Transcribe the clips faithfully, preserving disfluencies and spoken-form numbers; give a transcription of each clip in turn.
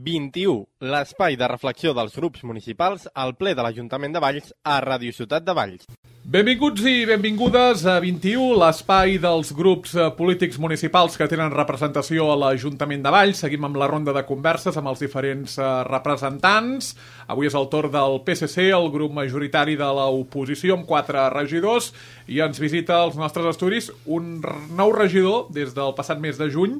vint-i-u, l'espai de reflexió dels grups municipals al ple de l'Ajuntament de Valls a Ràdio Ciutat de Valls. Benvinguts i benvingudes a vint-i-u, l'espai dels grups polítics municipals que tenen representació a l'Ajuntament de Valls. Seguim amb la ronda de converses amb els diferents representants. Avui és el torn del P S C, el grup majoritari de l'oposició, amb quatre regidors, i ens visita als nostres estudis un nou regidor des del passat mes de juny,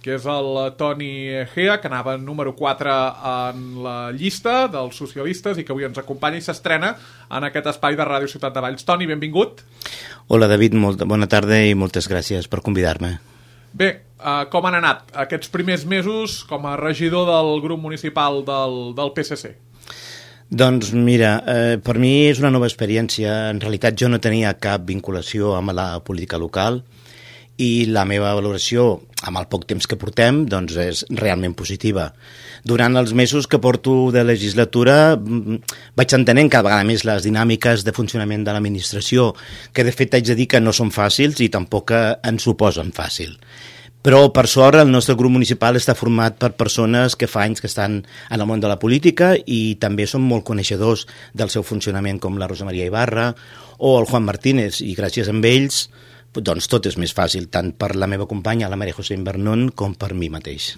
que és el Toni Gea, que anava número quatre en la llista dels socialistes i que avui ens acompanya i s'estrena en aquest espai de Ràdio Ciutat de Valls. Toni, benvingut. Hola, David, molt bona tarda i moltes gràcies per convidar-me. Bé, eh, com han anat aquests primers mesos com a regidor del grup municipal del, del P S C? Doncs mira, eh, per mi és una nova experiència. En realitat jo no tenia cap vinculació amb la política local i la meva valoració, amb el poc temps que portem, doncs és realment positiva. Durant els mesos que porto de legislatura vaig entenent cada vegada més les dinàmiques de funcionament de l'administració, que de fet haig de dir que no són fàcils i tampoc ens ho posen fàcil. Però, per sort, el nostre grup municipal està format per persones que fa anys que estan en el món de la política i també són molt coneixedors del seu funcionament, com la Rosa Maria Ibarra o el Juan Martínez, i gràcies a ells doncs tot és més fàcil, tant per la meva companya, la Maria José Invernon, com per mi mateix.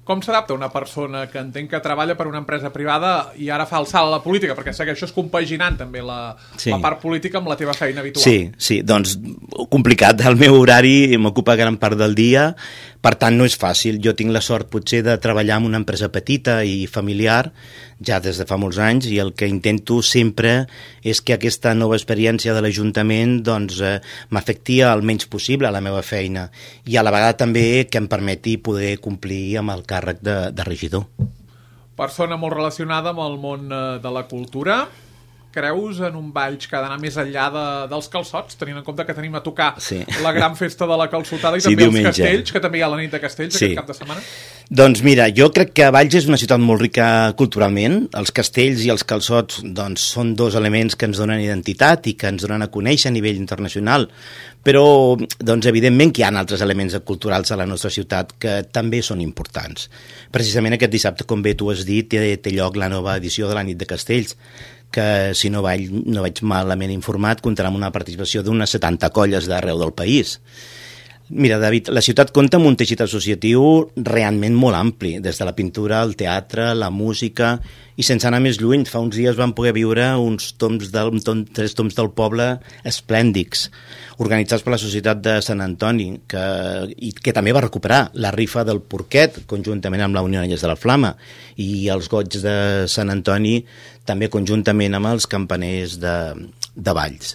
Com s'adapta una persona que entenc que treballa per una empresa privada i ara fa el salt a la política? Perquè segueixes compaginant també la, sí. la part política amb la teva feina habitual. Sí, sí, doncs complicat. El meu horari m'ocupa gran part del dia, per tant no és fàcil. Jo tinc la sort potser de treballar en una empresa petita i familiar ja des de fa molts anys i el que intento sempre és que aquesta nova experiència de l'Ajuntament doncs, eh, m'afecti el menys possible a la meva feina i a la vegada també que em permeti poder complir amb el càrrec de, de regidor. Persona molt relacionada amb el món de la cultura. Creus en un Valls que ha d'anar més enllà de, dels calçots, tenint en compte que tenim a tocar sí. la gran festa de la calçotada i sí, també diumenge. Els castells, que també hi ha la nit de castells sí. aquest cap de setmana? Doncs mira, jo crec que Valls és una ciutat molt rica culturalment. Els castells i els calçots doncs, són dos elements que ens donen identitat i que ens donen a conèixer a nivell internacional, però doncs, evidentment que hi ha altres elements culturals a la nostra ciutat que també són importants. Precisament aquest dissabte, com bé tu has dit, té, té lloc la nova edició de la nit de castells, que si no vaig, no vaig malament informat comptarà amb una participació d'unes setanta colles d'arreu del país. Mira, David, la ciutat compta amb un teixit associatiu realment molt ampli, des de la pintura, el teatre, la música, i sense anar més lluny, fa uns dies vam poder viure uns toms del, tom, tres toms del poble esplèndics, organitzats per la Societat de Sant Antoni, que, i que també va recuperar la rifa del Porquet, conjuntament amb la Unió Anyes de la Flama, i els goigs de Sant Antoni, també conjuntament amb els campaners de, de Valls.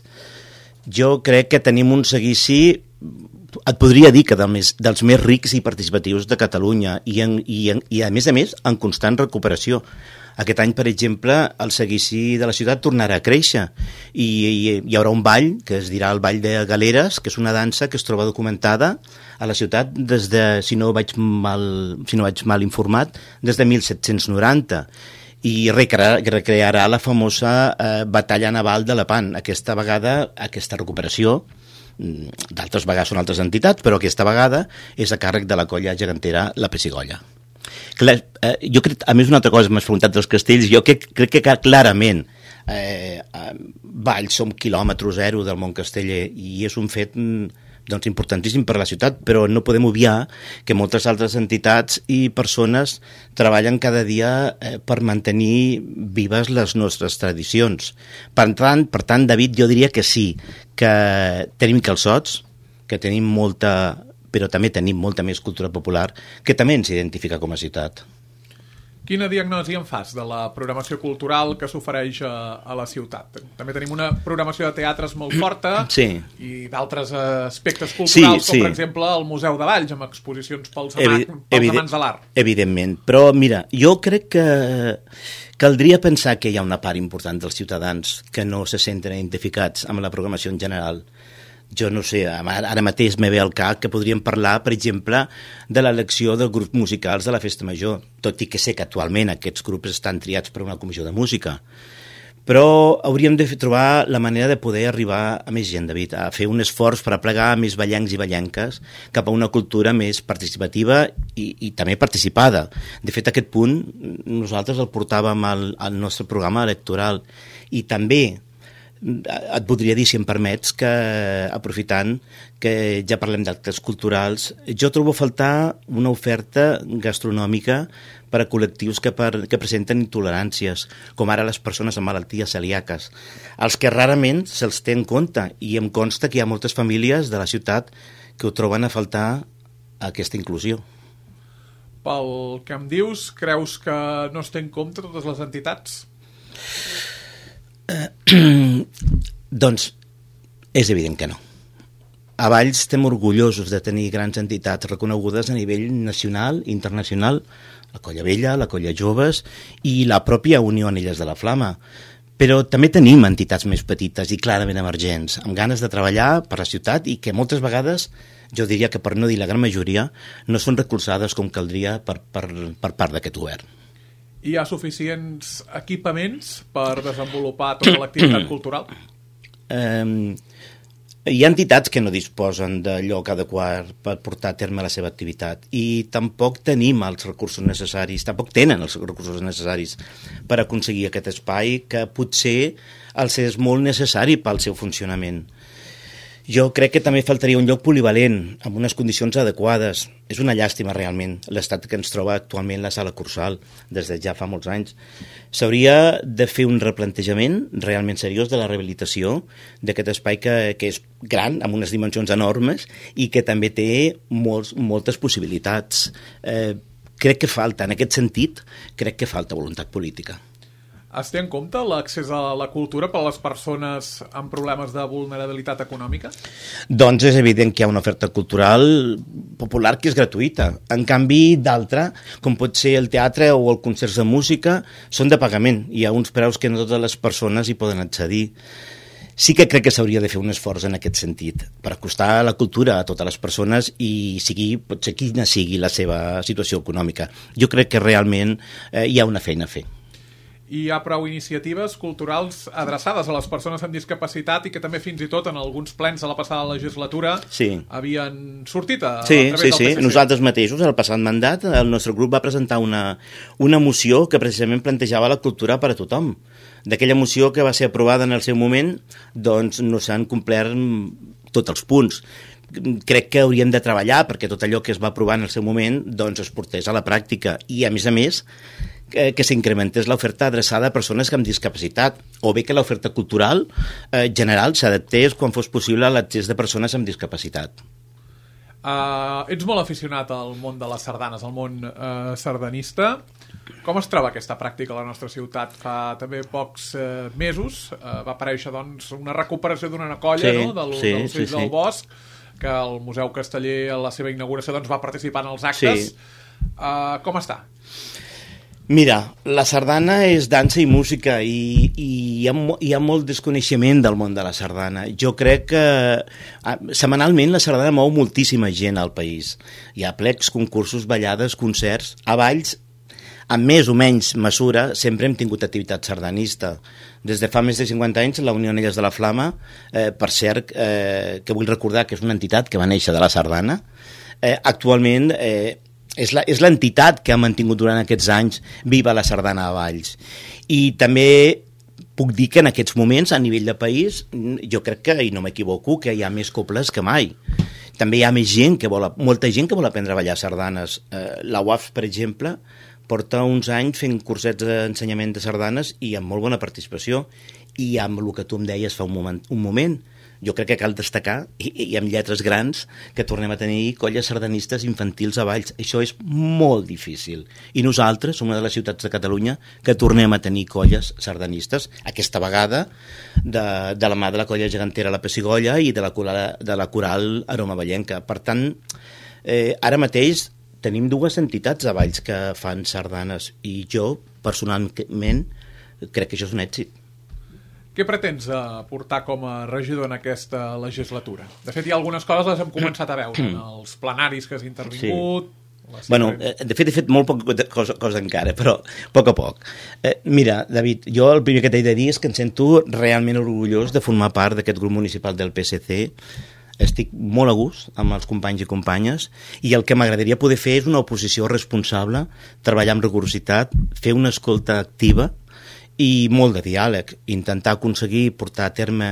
Jo crec que tenim un seguici, et podria dir que del més, dels més rics i participatius de Catalunya i, en, i, en, i a més a més en constant recuperació. Aquest any, per exemple, el seguici de la ciutat tornarà a créixer i, i hi haurà un ball que es dirà el Ball de Galeres, que és una dansa que es troba documentada a la ciutat des de, si no vaig mal, si no vaig mal informat, des de mil set-cents noranta i recrearà, recrearà la famosa eh, batalla naval de Lepant. Aquesta vegada, aquesta recuperació, d'altres vegades són altres entitats, però aquesta vegada és a càrrec de la colla gegantera La Pessigolla. Clar, eh, jo crec, a més una altra cosa, m'has preguntat dels castells, jo crec, crec que clarament eh, Valls som quilòmetre zero del món casteller i és un fet doncs, importantíssim per a la ciutat, però no podem obviar que moltes altres entitats i persones treballen cada dia eh, per mantenir vives les nostres tradicions. Per tant, per tant, David, jo diria que sí, que tenim calçots, que tenim molta, però també tenim molta més cultura popular, que també ens identifica com a ciutat. Quina diagnosi en fas de la programació cultural que s'ofereix a, a la ciutat? També tenim una programació de teatres molt forta sí. i d'altres aspectes culturals, sí, com sí. per exemple el Museu de Valls, amb exposicions pels, Evi pels Evident, amants de l'art. Evidentment, però mira, jo crec que caldria pensar que hi ha una part important dels ciutadans que no se senten identificats amb la programació en general. Jo no sé, ara mateix me ve al cap que podríem parlar, per exemple, de l'elecció dels grups musicals de la Festa Major, tot i que sé que actualment aquests grups estan triats per una comissió de música. però hauríem de trobar la manera de poder arribar a més gent, David, a fer un esforç per aplegar més ballencs i ballenques cap a una cultura més participativa i, i també participada. De fet, aquest punt nosaltres el portàvem al, al nostre programa electoral i també et voldria dir, si em permets, que aprofitant que ja parlem d'actes culturals, jo trobo a faltar una oferta gastronòmica per a col·lectius que, per, que presenten intoleràncies, com ara les persones amb malalties celíaques, els que rarament se'ls té en compte, i em consta que hi ha moltes famílies de la ciutat que ho troben a faltar aquesta inclusió. Pel que em dius, creus que no es té en compte totes les entitats? Uh, doncs és evident que no. A Valls estem orgullosos de tenir grans entitats reconegudes a nivell nacional i internacional, la Colla Vella, la Colla Joves i la pròpia Unió Anelles de la Flama. Però també tenim entitats més petites i clarament emergents, amb ganes de treballar per la ciutat i que moltes vegades, jo diria que per no dir la gran majoria, no són recolzades com caldria per, per, per part d'aquest govern. Hi ha suficients equipaments per desenvolupar tota l'activitat cultural? Eh, hi ha entitats que no disposen de lloc adequat per portar a terme la seva activitat i tampoc tenim els recursos necessaris, tampoc tenen els recursos necessaris per aconseguir aquest espai que potser els és molt necessari pel seu funcionament. Jo crec que també faltaria un lloc polivalent, amb unes condicions adequades. És una llàstima, realment, l'estat que ens troba actualment la sala Cursal, des de ja fa molts anys. S'hauria de fer un replantejament realment seriós de la rehabilitació d'aquest espai que, que és gran, amb unes dimensions enormes, i que també té molts, moltes possibilitats. Eh, crec que falta, en aquest sentit, crec que falta voluntat política. Es té en compte l'accés a la cultura per a les persones amb problemes de vulnerabilitat econòmica? Doncs és evident que hi ha una oferta cultural popular que és gratuïta. En canvi, d'altra, com pot ser el teatre o el concerts de música, són de pagament. Hi ha uns preus que no totes les persones hi poden accedir. Sí que crec que s'hauria de fer un esforç en aquest sentit, per acostar la cultura a totes les persones i sigui, potser quina sigui la seva situació econòmica. Jo crec que realment eh, hi ha una feina a fer. Hi ha prou iniciatives culturals adreçades a les persones amb discapacitat i que també fins i tot en alguns plens de la passada legislatura sí. havien sortit a, sí, a través sí, del P S C. Sí, nosaltres mateixos, el passat mandat, el nostre grup va presentar una, una moció que precisament plantejava la cultura per a tothom. D'aquella moció que va ser aprovada en el seu moment, doncs no s'han complert tots els punts. Crec que hauríem de treballar perquè tot allò que es va aprovar en el seu moment doncs es portés a la pràctica i, a més a més, que, que s'incrementés l'oferta adreçada a persones amb discapacitat, o bé que l'oferta cultural eh, general s'adaptés quan fos possible a l'accés de persones amb discapacitat. Uh, ets molt aficionat al món de les sardanes, al món uh, sardanista. Com es troba aquesta pràctica a la nostra ciutat? Fa també pocs uh, mesos uh, va aparèixer doncs, una recuperació d'una colla sí, no? del, sí, dels Fills sí, del sí. Bosc, que el Museu Casteller a la seva inauguració doncs, va participar en els actes. Sí. Uh, com està? Mira, la sardana és dansa i música i, i hi, ha, hi ha molt desconeixement del món de la sardana. Jo crec que eh, setmanalment la sardana mou moltíssima gent al país. Hi ha plecs, concursos, ballades, concerts. A Valls, amb més o menys mesura, sempre hem tingut activitat sardanista. Des de fa més de cinquanta anys, la Unió Anelles de la Flama, eh, per cert, eh, que vull recordar que és una entitat que va néixer de la sardana, eh, actualment eh, és la, és l'entitat que ha mantingut durant aquests anys viva la sardana a Valls. I també puc dir que en aquests moments, a nivell de país, jo crec que, i no m'equivoco, que hi ha més cobles que mai. També hi ha més gent que vol, molta gent que vol aprendre a ballar sardanes. Eh, la U A F, per exemple, porta uns anys fent cursets d'ensenyament de sardanes i amb molt bona participació, i amb el que tu em deies fa un moment, un moment jo crec que cal destacar, i, i amb lletres grans, que tornem a tenir colles sardanistes infantils a Valls. Això és molt difícil. I nosaltres som una de les ciutats de Catalunya que tornem a tenir colles sardanistes, aquesta vegada de, de la mà de la colla gegantera La Pessigolles i de la, de la coral Aroma Vallenca. Per tant, eh, ara mateix tenim dues entitats a Valls que fan sardanes i jo, personalment, crec que això és un èxit. Què pretens portar com a regidor en aquesta legislatura? De fet, hi ha algunes coses les hem començat a veure en els plenaris que has intervingut, sí. Bueno, eh, de fet he fet molt poca cosa, cosa encara, però a poc a poc. Eh, mira, David, jo el primer que t'he de dir és que em sento realment orgullós de formar part d'aquest grup municipal del P S C. Estic molt a gust amb els companys i companyes i el que m'agradaria poder fer és una oposició responsable, treballar amb rigorositat, fer una escolta activa i molt de diàleg, intentar aconseguir portar a terme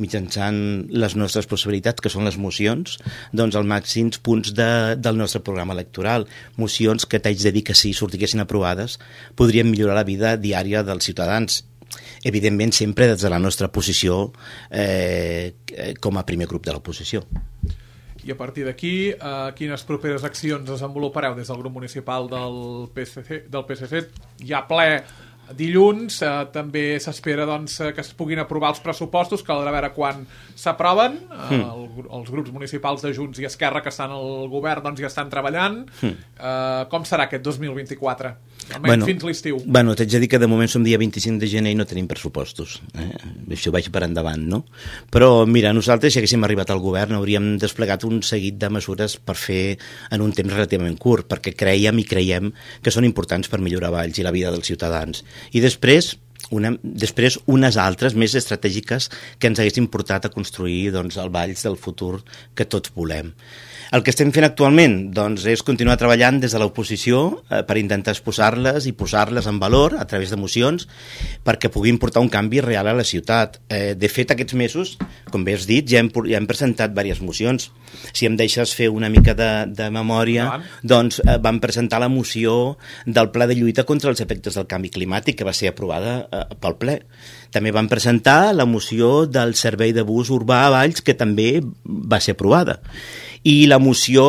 mitjançant les nostres possibilitats, que són les mocions, doncs els màxims punts de, del nostre programa electoral. Mocions que t'haig de dir que si sortiguessin aprovades podrien millorar la vida diària dels ciutadans. Evidentment sempre des de la nostra posició eh, com a primer grup de l'oposició. I a partir d'aquí, eh, quines properes accions desenvolupareu des del grup municipal del P S C? Del P S C? Hi ha ple dilluns, eh, també s'espera doncs, que es puguin aprovar els pressupostos, caldrà veure quan s'aproven. Eh, mm. el, els grups municipals de Junts i Esquerra que estan al govern doncs, ja estan treballant. Mm. Eh, com serà aquest dos mil vint-i-quatre? Almenys bueno, fins l'estiu. Bueno, t'haig de dir que de moment som dia vint-i-cinc de gener i no tenim pressupostos. Eh? Això vaig per endavant, no? Però, mira, nosaltres, si haguéssim arribat al govern, hauríem desplegat un seguit de mesures per fer en un temps relativament curt, perquè creiem i creiem que són importants per millorar Valls i la vida dels ciutadans. I després, una, després unes altres més estratègiques que ens haguessin portat a construir doncs, el Valls del futur que tots volem. El que estem fent actualment doncs, és continuar treballant des de l'oposició eh, per intentar exposar-les i posar-les en valor a través de mocions perquè puguin portar un canvi real a la ciutat. Eh, de fet, aquests mesos, com bé has dit, ja hem, ja hem presentat diverses mocions. Si em deixes fer una mica de, de memòria, doncs eh, vam presentar la moció del Pla de lluita contra els efectes del canvi climàtic que va ser aprovada eh, pel ple. També vam presentar la moció del servei de bus urbà a Valls que també va ser aprovada. I la moció,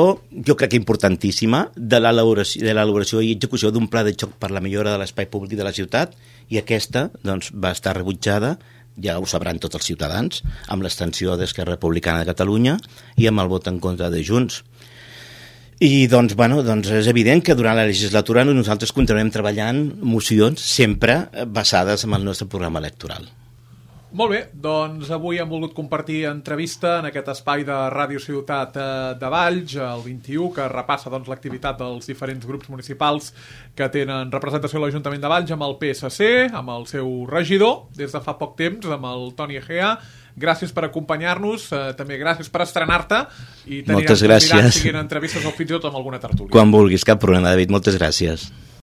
jo crec que importantíssima, de l'elaboració, de l'elaboració i execució d'un pla de xoc per la millora de l'espai públic de la ciutat, i aquesta doncs, va estar rebutjada, ja ho sabran tots els ciutadans, amb l'extensió d'Esquerra Republicana de Catalunya i amb el vot en contra de Junts. I doncs, bueno, doncs és evident que durant la legislatura nosaltres continuem treballant mocions sempre basades en el nostre programa electoral. Molt bé, doncs avui hem volgut compartir entrevista en aquest espai de Ràdio Ciutat de Valls, el vint-i-u, que repassa doncs, l'activitat dels diferents grups municipals que tenen representació a l'Ajuntament de Valls amb el P S C, amb el seu regidor, des de fa poc temps, amb el Toni Egea. Gràcies per acompanyar-nos, eh, també gràcies per estrenar-te i tenir moltes gràcies. Siguin entrevistes o fins i tot amb alguna tertúlia. Quan vulguis, cap problema, David, moltes gràcies.